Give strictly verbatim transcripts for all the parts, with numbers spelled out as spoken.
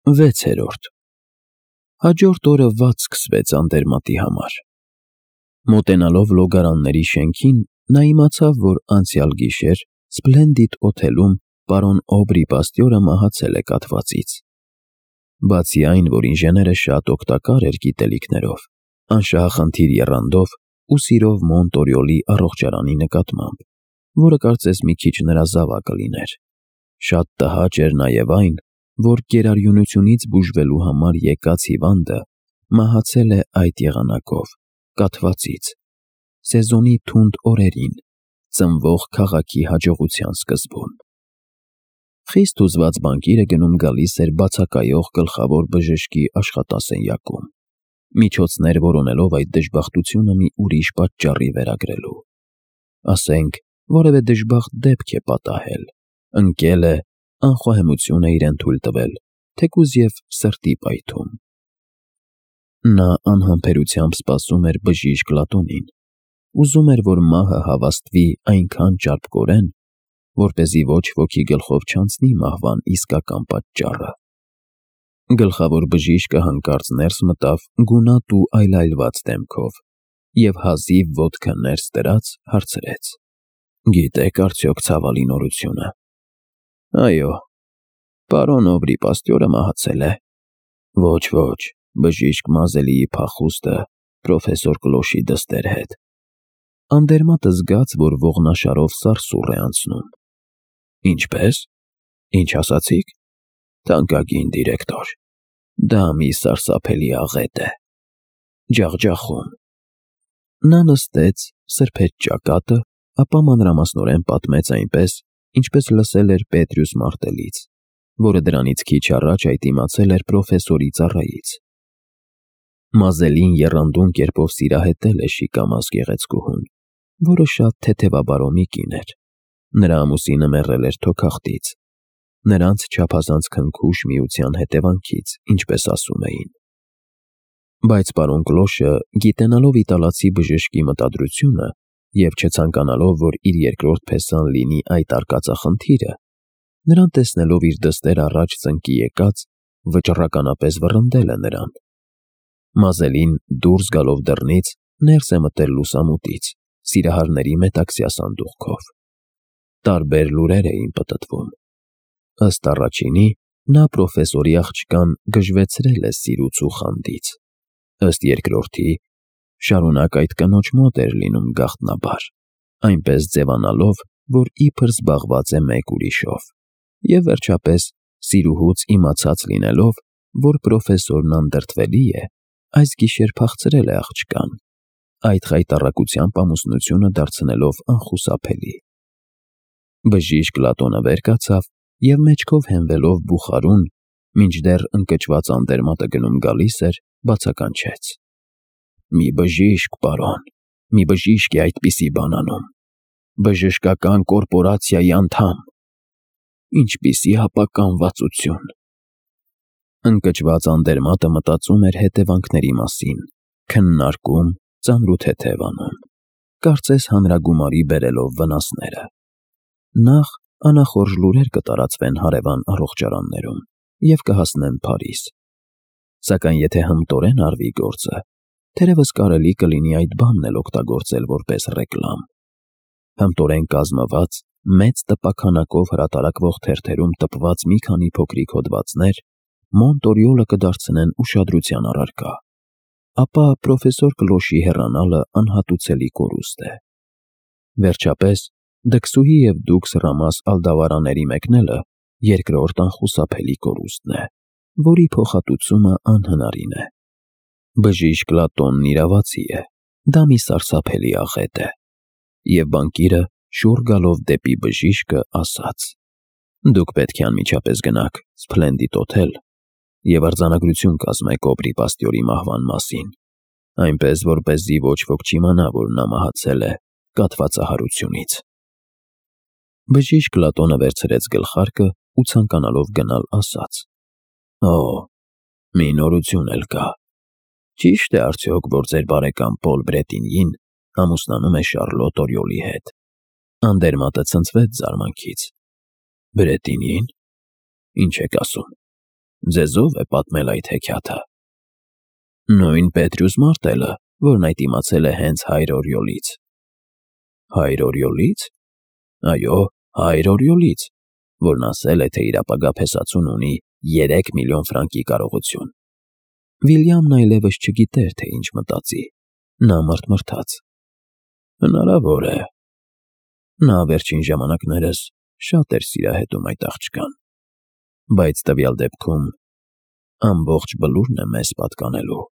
Վեցերորդ Հաջորդ օրը վատ սկսվեց Անդերմատի համար։ Մոտենալով լոգարանների շենքին, նա իմացավ, որ անցյալ գիշեր Սպլենդիդ օթելում պարոն Օբրի Պաստյորը մահացել է կաթվածից։ Բացի այն, որ ինժեները շատ օգտակար էր գիտելիքներով, անշահախնդիր եռանդով ու սիրով Մոնտորյոլի առողջարանի նկատմամբ, որը կարծես մի քիչ նրա զավակը լիներ, շատ տհաճ էր նաև այն, որ գերարյունությունից բուժվելու համար եկած հիվանդը մահացել է այդ եղանակով, կաթվածից, սեզոնի թունդ օրերին, ծնվող քաղաքի հաջողության սկզբում։ Խիստ հուզված բանկիրը գնում-գալիս էր բացակայող գլխավոր բժշկի աշխատասենյակում, միջոցներ որոնելով այդ դժբախտությունը մի ուրիշ պատճառի վերագրելու։ Ասենք, որևէ դժբախտ դեպք է պատահել, ընկել է, անխոհեմություն է իրեն թույլ տվել, թեկուզ և սրտի պայթում։ Նա անհամբերությամբ սպասում էր բժիշկ Լատոնին, ուզում էր, որ մահը հավաստվի այնքան ճարպկորեն, որպեսզի ոչ ոքի գլխով չանցնի մահվան իսկական պատճառը։ Գլխավոր բժիշկը հանկարծ ներս մտավ գունատ ու այլայլված դեմքով և հազիվ ոտքը ներս դրած հարցրեց. «Գիտեք արդյոք ցավալի նորությունը»։ «Այո, պարոն Օբրի Պաստյորը մահացել է»։ «Ոչ, ոչ, բժիշկ Մազելիի փախուստը պրոֆեսոր Կլոշի դստեր հետ»։ Անդերմատը զգաց, որ ողնաշարով սարսուռ է անցնում։ «Ինչպե՞ս, ինչ ասացիք»։ «Թանկագին դիրեկտոր, դա մի սարսափելի աղետ է, ջախջախում»։ Նա նստեց, սրբեց ճակատը, ապա մանրամասնորեն պատմեց այնպես, ինչպես լսել էր Պետրյուս Մարտելից, որը դրանից քիչ առաջ այդ իմացել էր պրոֆեսորի ծառայից։ Մազելին եռանդուն կերպով սիրահետել է շիկամազ գեղեցկուհուն, որը շատ թեթևաբարոմի կին էր։ Նրա ամուսինը մեռել էր թոքախտից, նրանց չափազանց քնքուշ միության հետևանքից, ինչպես ասում էին։ Բայց պարոն Կլոշը, գիտենալով իտալացի բժշկի մտադրությունը և չցանկանալով, որ իր երկրորդ փեսան լինի այդ արկածախնդիրը, նրան տեսնելով իր դստեր առաջ ծնկի եկած, վճռականապես վռնդել է նրան։ Մազելին, դուրս գալով դռնից, ներս է մտել լուսամուտից, սիրահարների մետաքսյա սանդուղքով։ Տարբեր լուրեր էին պտտվում։ Ըստ առաջինի, նա պրոֆեսորի աղջկան գժվեցրել է սիրուց ու խանդից, ըստ երկրորդի, շարունակ այդ կնոջ մոտ էր լինում գաղտնաբար, այնպես ձևանալով, որ իբր զբաղված է մեկ ուրիշով, և վերջապես սիրուհուց իմացած լինելով, որ պրոֆեսորն անդրդվելի է, այս գիշեր փախցրել է աղջկան, այդ խայտառակությամբ ամուսնությունը դարձնելով անխուսափելի։ Բժիշկ Լատոնը վեր կացավ և մեջքով հենվելով բուխարուն, մինչդեռ ընկճված Անդերմատը գնում-գալիս էր, բացականչեց. «Մի բժիշկ, պարոն, մի բժիշկ է այդպիսի բան անում, բժշկական կորպորացիայի անդամ։ Ինչպիսի ապականվածություն»։ Ընկճված Անդերմատը մտածում էր հետևանքների մասին, քննարկում, ծանրութեթև անում, կարծես հանրագումարի բերելով վնասները։ Նախ անախորժ լուրեր կտարածվեն հարևան առողջարաններում և կհասնեն Փարիզ։ Սակայն եթե հմտորեն արվի գործը, թերևս կարելի կլինի այդ բանն էլ օգտագործել որպես ռեկլամ։ Հմտորեն կազմված, մեծ տպաքանակով հրատարակվող թերթերում տպված մի քանի փոքրիկ հոդվածներ Մոնտորյոլը կդարձնեն ուշադրության առարկա, ապա պրոֆեսոր Կլոշի հեռանալը անհատուցելի կորուստ է։ Վերջապես, դքսուհի և դուքս Ռամաս Ալդավարաների մեկնելը երկրորդ անխուսափելի կորուստն է, որի փոխհատուցումը անհնարին է։ Բժիշկ Լատոնն իրավացի է, դա մի սարսափելի աղետ է։ Եվ բանկիրը, շուռ գալով դեպի բժիշկը, ասաց. «Դուք պետք է անմիջապես գնաք Սփլենդիդ օթել և արձանագրություն կազմեք Օբրի Պաստյորի մահվան մասին, այնպես, որպեսզի ոչ ոք չիմանա, որ նա մահացել է կաթվածահարությունից»։ Բժիշկ Լատոնը վերցրեց գլխարկը ու ցանկանալով գնալ, ասաց. «Օ, մի նորություն էլ կա։ Ճի՞շտ է արդյոք, որ ձեր բարեկամ Պոլ Բրետինյին ամուսնանում է Շառլոտ Օրիոլի հետ»։ Անդերմատը ցնցվեց զարմանքից։ «Բրետինյի՞ն, ինչ եք ասում»։ ձեզով է պատմել այդ հեքիաթը։ Նույն Պետրյուս Մարտելը, որն այդ իմացել է հենց հայր Օրիոլից։ Հայր Օրիոլից։ Այո, հայր Օրիոլից, որն ասել է, թե իր ապագա փեսացուն ունի երեք միլիոն ֆրանկի կարողություն։ Վիլյամն այլևս չգիտեր, թե ինչ մտածի։ Նա մռթմռթաց։ Հնարավոր է։ Նա վերջին ժամանակներս շատ էր սիրահետում այդ աղջկան։ Բայց տվյալ դեպքում ամբողջ բլուրն է մեզ պատկանելու։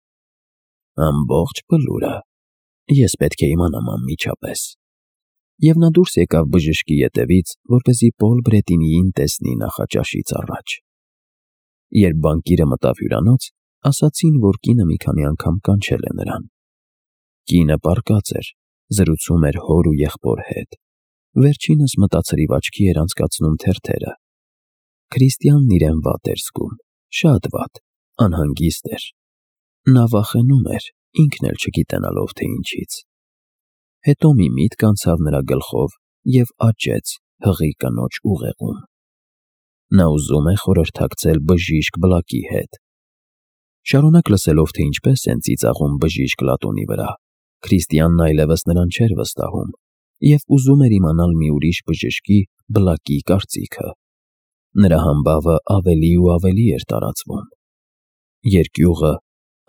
Ամբողջ բլուրը։ Ես պետք է իմանամ անմիջապես։ Եվ նա դուրս եկավ բժշկի ետևից, որպեսզի Պոլ Բրետինիին տեսնի նախաճաշից առաջ։ Երբ բանկիրը մտավ հյուրանոց, ասացին, որ կինը մի քանի անգամ կանչել է նրան։ Կինը պառկած էր, զրուցում էր հոր ու եղբոր հետ։ Վերջինս մտածրիվ աչքի էր անցկացնում թերթերը։ Քրիստիանն իրեն վատ էր զգում, շատ վատ, անհանգիստ էր։ Նա վախենում էր, ինքն էլ չգիտենալով, թե ինչից։ Հետո մի միտք անցավ նրա գլխով և աճեց հղի կնոջ ուղեղում։ Նա ուզում է խորհրդակցել բժիշկ Բլակի հետ։ Շարունակ լսելով, թե ինչպես են ծիծաղում բժիշկ Լատոնի վրա, Քրիստիանն այլևս նրան չէր վստահում և ուզում էր իմանալ մի ուրիշ բժշկի Բլակի կարծիքը։ Նրա համբավը ավելի ու ավելի էր տարածվում։ Երկյուղը,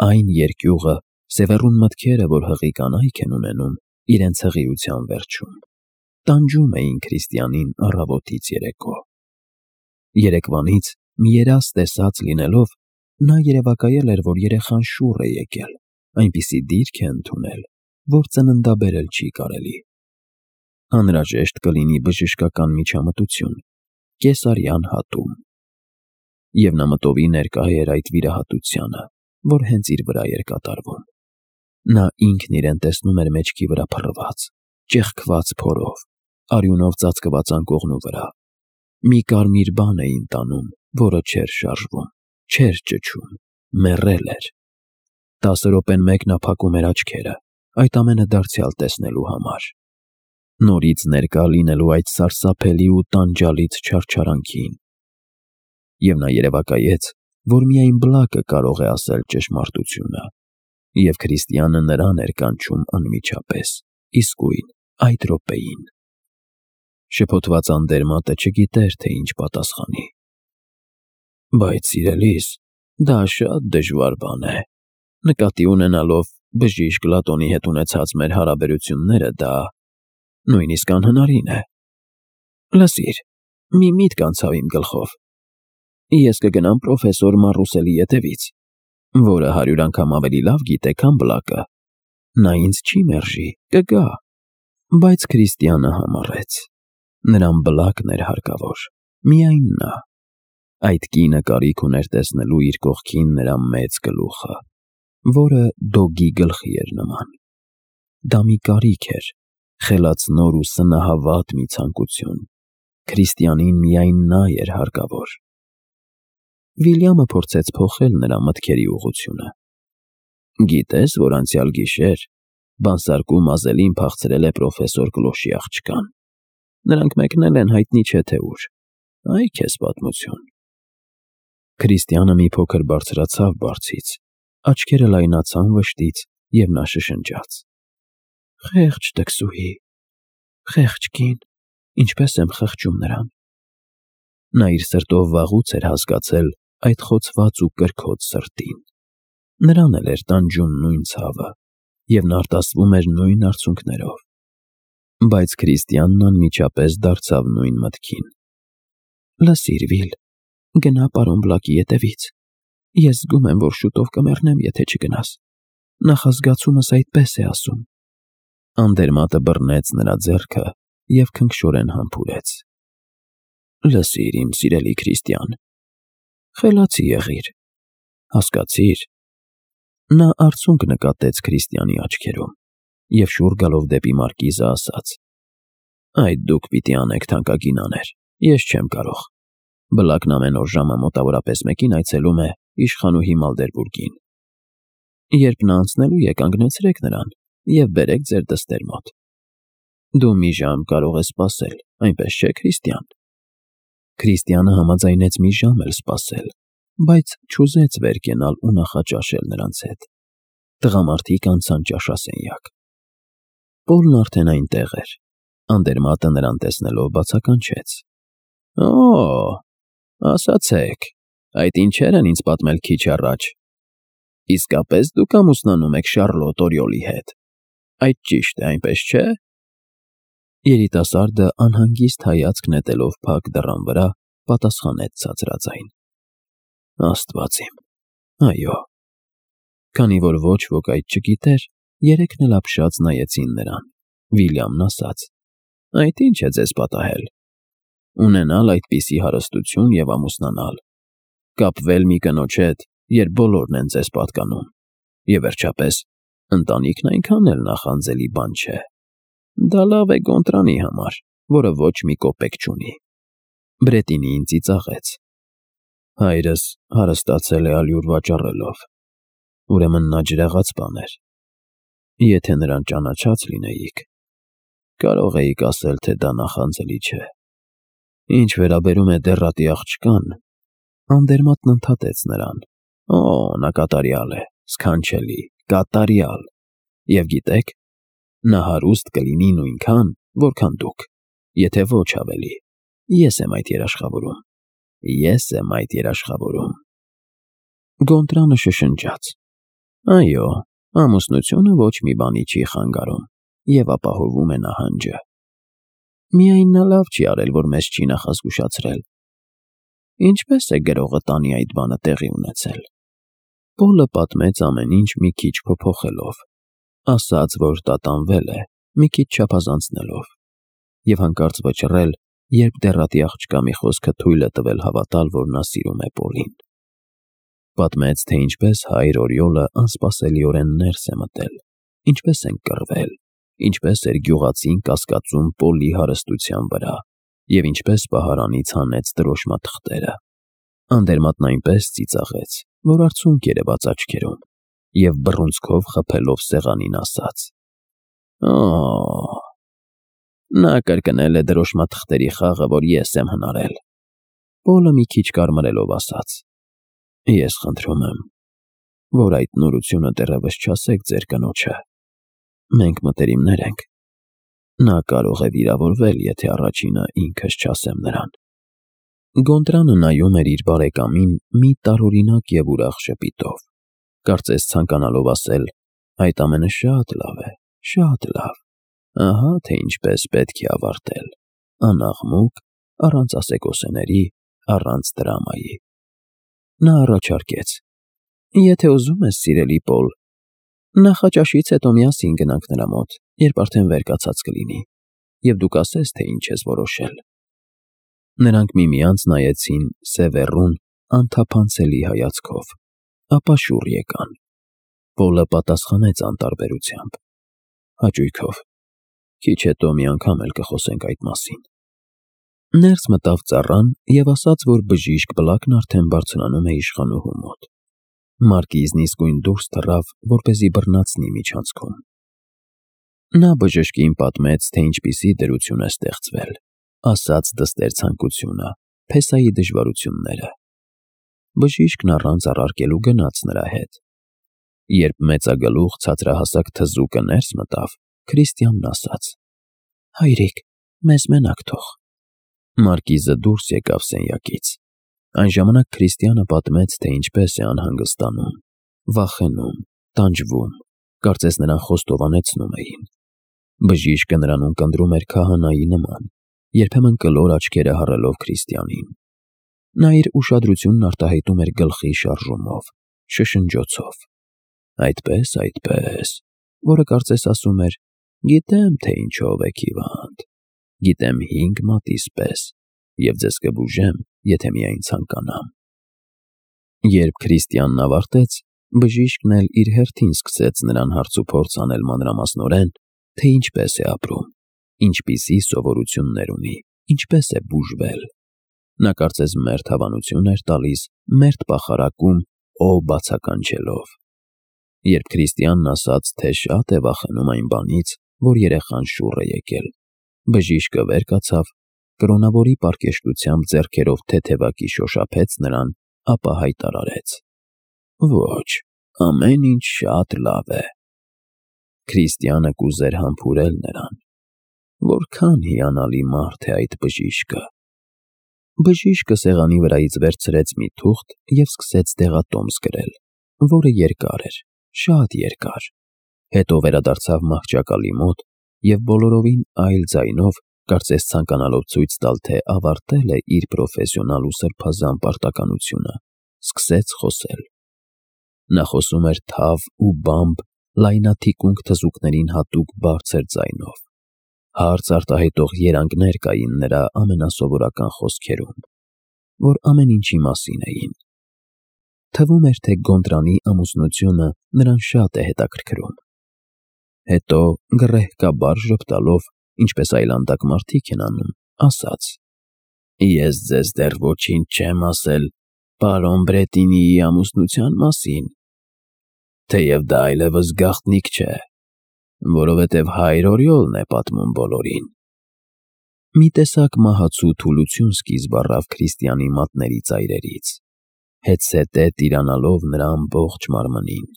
այն երկյուղը, սևեռուն մտքերը, որ հղի կանայք են ունենում իրենց հղիության վերջում, տանջում էին Քրիստիանին առավոտից երեկո։ Երեկվանից մի երազ տեսած լինելով, նա երևակայել էր, որ երեխան շուռ է եկել, այնպիսի դիրք է ընդունել, որ ծննդաբերել չի կարելի։ Անհրաժեշտ կլինի բժշկական միջամտություն, կեսարյան հատում։ Եվ նա մտովի ներկա էր այդ վիրահատությանը, որ հենց իր վրա էր կատարվում։ Նա ինքն իրեն տեսնում էր մեջքի վրա փռված, ճեղքված փորով, արյունով ծածկված անկողնու վրա։ Մի կարմիր բան էին տանում, որը չէր շարժվում, չէր ճչում, մեռել էր։ Տասը րոպեն մեկ նա փակում էր աչքերը, այդ ամենը դարձյալ տեսնելու համար։ Նորից ներկա լինելու այդ սարսափելի ու տանջալից չարչարանքին։ Եվ նա երևակայեց, որ միայն Բլակը կարող է ասել ճշմարտությունը, և Քրիստիանը նրան էր կանչում անմիջապես, իսկույն, այդ րոպեին։ Շփոթված Անդերմատը չգիտեր, թե ինչ պատասխանի։ Բայց, սիրելիս, դա շատ դժվար բան է։ Նկատի ունենալով բժիշկ Լատոնի հետ ունեցած մեր հարաբերությունները, դա նույնիսկ անհնարին է։ Լսիր, մի միտք անցավ իմ գլխով։ Ես կգնամ պրոֆեսոր Մարուսելի ետևից, որը հարյուր անգամ ավելի լավ գիտե, քան Բլակը։ Նա ինձ չի մերժի, կգա։ Բայց Քրիստիանը համառեց։ Նրան Բլակն էր հարկավոր, միայն նա։ Այդ կինը կարիք ուներ տեսնելու իր կողքին նրա մեծ գլուխը, որը դոգի գլխի էր նման։ Դա մի կարիք էր, խելացնոր ու սնահավատ մի ցանկություն։ Քրիստիանին միայն նա էր հարկավոր։ Վիլյամը փորձեց փոխել նրա մտքերի ուղղությունը։ Գիտես, որ անցյալ գիշեր բանսարկում Մազելին փախցրել է պրոֆեսոր Կլոշի աղջկան։ Նրանք մեկնել են հայտնի չէ թե ուր։ Այ քեզ պատմություն։ Քրիստիանը մի փոքր բարձրացավ բարձից, աչքերը լայնացան վշտից, և նա շշնջաց. Խեղճ տքսուհի, խեղճ կին, ինչպես եմ խղճում նրան։ Նա իր սրտով վաղուց էր հասկացել այդ խոցված ու կրքոտ սրտին։ Նրան էլ էր տանջում նույն ցավը, և նա արտասվում էր նույն արցունքներով։ Բայց Քրիստիանն անմիջապես դարձավ նույն մտքին։ Լսիր, Վիլ, գնա պարոն Բլակի ետևից։ Ես զգում եմ, որ շուտով կմեռնեմ, եթե չգնաս։ Նախազգացումս այդպես է ասում։ Անդերմատը բռնեց նրա ձեռքը և քնքշորեն համբուրեց։ Լսիր, իմ սիրելի Քրիստիան, խելացի եղիր, հասկացիր։ Նա արցունք նկատեց Քրիստիանի աչքերում և շուռ գալով դեպի մարկիզը ասաց. Այդ դուք պիտի անեք, թանկագին աներ, ես չեմ կարող։ Բլակն ամեն օր ժամը մոտավորապես մեկին այցելում է իշխանուհի Մալդերբուրգին։ Երբ նա անցնելու է, կանգնեցրեք նրան և բերեք ձեր դստեր մոտ։ Դու մի ժամ կարող ես սպասել, այնպես չէ, Քրիստիան։ Քրիստիանը համաձայնեց մի ժամ էլ սպասել, բայց չուզեց վեր կենալ ու նախաճաշել նրանց հետ։ Տղամարդիկ անցան ճաշասենյակ։ Պոլն արդեն այնտեղ էր։ Անդերմատը նրան տեսնելով բացականչեց. «Օ՜, ասացեք, այդ ինչեր են ինձ պատմել քիչ առաջ։ Իսկապես դուք ամուսնանում եք Շառլոտ Օրիոլի հետ։ Այդ ճիշտ է, այնպես չէ՞»։ Երիտասարդը անհանգիստ հայացք նետելով փակ դռան վրա պատասխանեց ցածրաձայն. «Աստված իմ, այո»։ Քանի որ ոչ ոք այդ չգիտեր, երեքն էլ ապշած նայեցին նրան։ Վիլյամն ասաց. «Այդ ինչ է ձեզ պատահել։ Ունենալ այդպիսի հարստություն և ամուսնանալ, կապվել մի կնոջ հետ, երբ բոլորն են ձեզ պատկանում, և վերջապես ընտանիքն այնքան էլ նախանձելի բան չէ։ Դա լավ է Գոնտրանի համար, որը ոչ մի կոպեկ չունի»։ Բրետինին ծիծաղեց. «Հայրս հարստացել է ալյուր վաճառելով, ուրեմն նա ջրաղաց բան էր։ Եթե նրան ճանաչած լինեիք, կարող էիք ասել, թե դա նախանձելի չէ։ Ինչ վերաբերում է դեռատի աղջկան», Անդերմատն ընդհատեց նրան, «Օ, նա կատարյալ է, սքանչելի, կատարյալ, և գիտեք, նա հարուստ կլինի նույնքան, որքան դուք, եթե ոչ ավելի։ Ես եմ այդ երաշխավորում, ես եմ այդ երաշխավորում»։ Գոնտրանը շշնջաց. «Այո, ամուսնությունը ոչ մի բանի չի խանգարում և ապահովում է նահանջը։ Միայն նա լավ չի արել, որ մեզ չի նախազգուշացրել։ Ինչպե՞ս է գրողը տանի այդ բանը տեղի ունեցել»։ Պոլը պատմեց ամեն ինչ մի քիչ փոփոխելով, ասաց, որ տատանվել է, մի քիչ չափազանցնելով, և հանկարծ վճռել, երբ դեռատի աղջկա մի խոսքը թույլ է տվել հավատալ, որ նա սիրում է Պոլին։ Պատմեց, թե ինչպես հայր Օրիոլը անսպասելիորեն ներս է մտել, ինչպես են կռվել, ինչպես էր գյուղացին կասկածում Պոլի հարստության վրա, և ինչպես պահարանից հանեց դրոշմաթղթերը։ Անդերմատն այնպես ծիծաղեց, որ արցունք երևաց աչքերում, և բռունցքով խփելով սեղանին ասաց. «Օ՜, նա կրկնել է դրոշմաթղթերի խաղը, որ ես եմ հնարել»։ Պոլը մի քիչ կարմրելով ասաց. «Ես խնդրում եմ, որ այդ նորությունը դեռևս չասեք ձեր կնոջը։ Մենք մտերիմներ ենք։ Նա կարող է վիրավորվել, եթե առաջինը ինքս չասեմ նրան»։ Գոնտրանը նայում էր իր բարեկամին մի տարօրինակ և ուրախ ժպիտով, կարծես ցանկանալով ասել. «Այդ ամենը շատ լավ է, շատ լավ։ Ահա թե ինչպես պետք է ավարտել, անաղմուկ, առանց ասեկոսեների, առանց դրամայի»։ Նա առաջարկեց. «Եթե ուզում ես, սիրելի Պոլ, նախաճաշից հետո միասին գնանք նրա մոտ, երբ արդեն վեր կացած կլինի, և դու կասես, թե ինչ ես որոշել»։ Նրանք միմյանց նայեցին սևեռուն, անթափանցելի հայացքով, ապա շուռ եկան։ Պոլը պատասխանեց անտարբերությամբ. «Հաճույքով, քիչ հետո մի անգամ էլ կխոսենք այդ մասին»։ Ներս մտավ ծառան և ասաց, որ բժիշկ Բլակն արդեն բարձրանում է իշխանուհու մոտ։ Մարկիզն իսկույն դուրս թռավ, որպեսզի բռնացնի միջանցքում։ Նա բժշկին պատմեց, թե ինչպիսի դրություն է ստեղծվել, ասաց դստեր ցանկությունը, փեսայի դժվարությունները։ Բժիշկն առանց առարկելու գնաց նրա հետ։ Երբ մեծագլուխ ցածրահասակ թզուկը ներս մտավ, Քրիստիանն ասաց. «Հայրիկ, մեզ մենակ թող»։ Մարկիզը դուրս եկավ սենյակից։ Այն ժամանակ Քրիստիանը պատմեց, թե ինչպես է անհանգստանում, վախենում, տանջվում, կարծես նրան խոստովանեցնում էին։ Բժիշկը նրան ունկնդրում էր քահանայի նման, երբեմն կլոր աչքերը հառելով Քրիստիանին։ Նա իր ուշադրությունն արտահայտում էր գլխի շարժումով, շշնջոցով. «Այդպես, այդպես», որը կարծես ասում էր. «Գիտեմ, թե ինչով եք հիվանդ, գիտեմ հինգ մատիս պես, և ձեզ կբուժեմ, եթե միայն ցանկանամ»։ Երբ Քրիստիանն ավարտեց, բժիշկն էլ իր հերթին սկսեց նրան հարցուփորձ անել մանրամասնորեն, թե ինչպես է ապրում, ինչպիսի սովորություններ ունի, ինչպես է բուժվել։ Նա կարծես մերթ հավանություն էր տալիս, մերթ պախարակում, օ բացականչելով։ Երբ Քրիստիանն ասաց, թե շատ է վախենում այն բանից, որ երեխան շուռ է եկել, բժիշկը վեր կացավ, կրոնավորի պարկեշտությամբ ձեռքերով թեթևակի շոշափեց նրան ապա հայտարարեց. «Ոչ, ամեն ինչ շատ լավ է»։ Քրիստիանը կուզեր համբուրել նրան. «Որքան հիանալի մարդ է այդ բժիշկը»։ Բժիշկը սեղանի վրայից վերցրեց մի թուղթ և սկսեց դեղատոմս գրել, որը երկար էր, շատ երկար։ Հետո վերադարձավ մահճակալի մոտ և բոլորովին այլ ձայնով, կարծես ցանկանալով ցույց տալ, թե ավարտել է իր պրոֆեսիոնալ ու սրբազան պարտականությունը, սկսեց խոսել։ Նա խոսում էր թավ ու բամբ լայնաթիկունք թզուկներին հատուկ բարձր ձայնով։ Հարց արտահայտող երանգներ կային նրա ամենասովորական խոսքերում, որ ամեն ինչի մասին էին։ Թվում էր, թե Գոնդրանի ամուսնությունը նրան շատ է հետաքրքրում։ Հետո գռեհկաբար ժպտալով, ինչպես այլանդակ մարդիկ են անում, ասաց. «Ես ձեզ դեռ ոչինչ չեմ ասել պարոն Բրետինիի ամուսնության մասին, թեև դա այլևս գաղտնիք չէ, որովհետև հայր Օրիոլն է պատմում բոլորին»։ Մի տեսակ մահացու թուլություն սկիզբ առավ Քրիստիանի մատների ծայրերից, հետզհետե տիրանալով նրա ամբողջ մարմնին,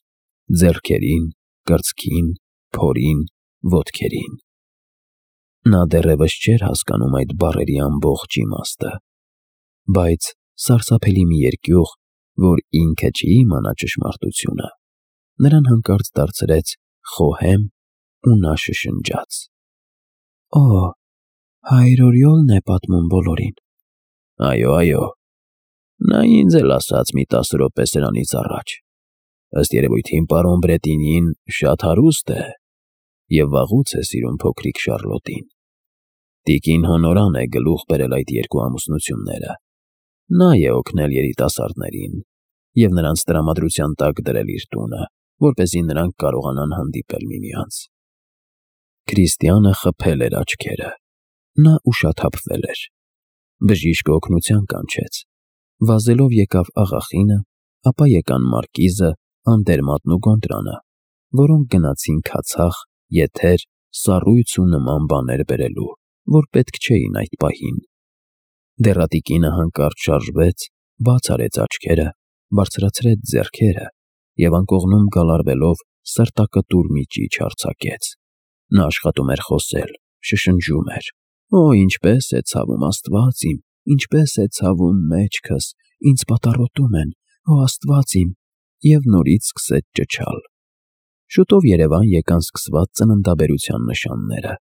ձեռքերին, կրծքին, փորին, ոտքերին։ Նա դեռևս չէր հասկանում այդ բառերի ամբողջ իմաստը, բայց սարսափելի մի երկյուղ, որ ինքը չի իմանա ճշմարտությունը, նրան հանկարծ դարձրեց խոհեմ ու նա շշնջաց. «Օ, հայր Օրիոլն է պատմում բոլորին»։ «Այո, այո, նա ինձ էլ ասաց մի տասը րոպե սրանից առաջ։ Ըստ երևույթին պարոն Բրետինին շատ հարուստ է և վաղուց է սիրում փոքրիկ Շառլոտին։ Տիկին Հոնորան է գլուխ բերել այդ երկու ամուսնությունները, նա է օգնել երիտասարդներին և նրանց տրամադրության տակ դրել իր տունը, որպեսզի նրանք կարողանան հանդիպել միմյանց»։ Քրիստիանը խփել էր աչքերը։ Նա ուշաթափվել էր։ Բժիշկը օգնության կանչեց։ Վազելով եկավ աղախինը, ապա եկան մարկիզը, Անդերմատն ու Գոնդրանը, որոնք գնացին քացախ, եթեր, սառույց ու նման բաներ բերելու, որ պետք չէին այդ պահին։ Դեռատիկինը հանկարծ շարժվեց, բաց արեց աչքերը, բարձրացրեց ձեռքերը և անկողնում գալարվելով սրտակտուր մի ճիչ արձակեց։ Նա աշխատում էր խոսել, շշնջում էր. «Օ, ինչպես է ցավում, Աստված իմ, ինչպես է ցավում մեջքս, ինձ պատառոտում են, օ Աստված իմ», և նորից սկսեց ճչալ։ Շուտով երևան եկան սկսված ծննդաբերության նշանները։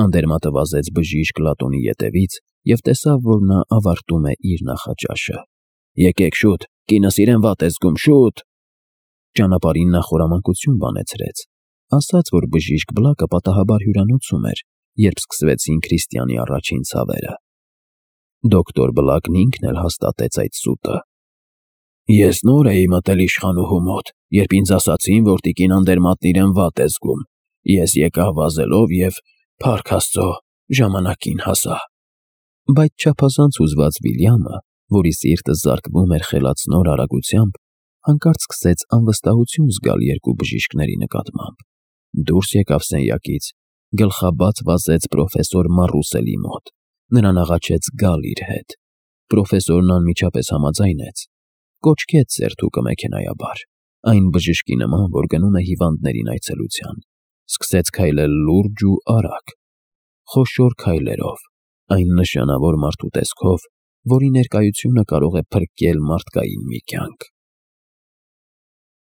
Անդերմատը վազեց բժիշկ Լատոնի ետևից և տեսավ, որ նա ավարտում է իր նախաճաշը։ «Եկեք շուտ, կինս իրեն վատ է զգում, շուտ»։ Ճանապարհին նա խորամանկություն բանեցրեց, ասաց, որ բժիշկ Բլակը պատահաբար հյուրանոցում էր, երբ սկսվեցին Քրիստիանի առաջին ցավերը։ Դոկտոր Բլակն ինքն էլ հաստատեց այդ սուտը։ «Ես նոր էի մտել իշխանուհու մոտ, երբ ինձ ասացին, որ տիկին Անդերմատն իրեն վատ է զգում։ Ես եկա վազելով և, փառք Աստծո, ժամանակին հասա»։ Բայց չափազանց հուզված Վիլյամը, որի սիրտը զարկվում էր խելացնոր արագությամբ, հանկարծ սկսեց անվստահություն զգալ երկու բժիշկների նկատմամբ։ Դուրս եկավ սենյակից, գլխաբաց վազեց պրոֆեսոր Մարուսելի մոտ, նրան աղաչեց գալ իր հետ։ Պրոֆեսորն անմիջապես համաձայնեց, կոչկեց սերթուկը մեքենայաբար, այն բժշկի նման, որ գնում է հիվանդներին այցելության, սկսեց քայլել լուրջ ու արագ, խոշոր քայլերով, այն նշանավոր մարդու տեսքով, որի ներկայությունը կարող է փրկել մարդկային մի կյանք։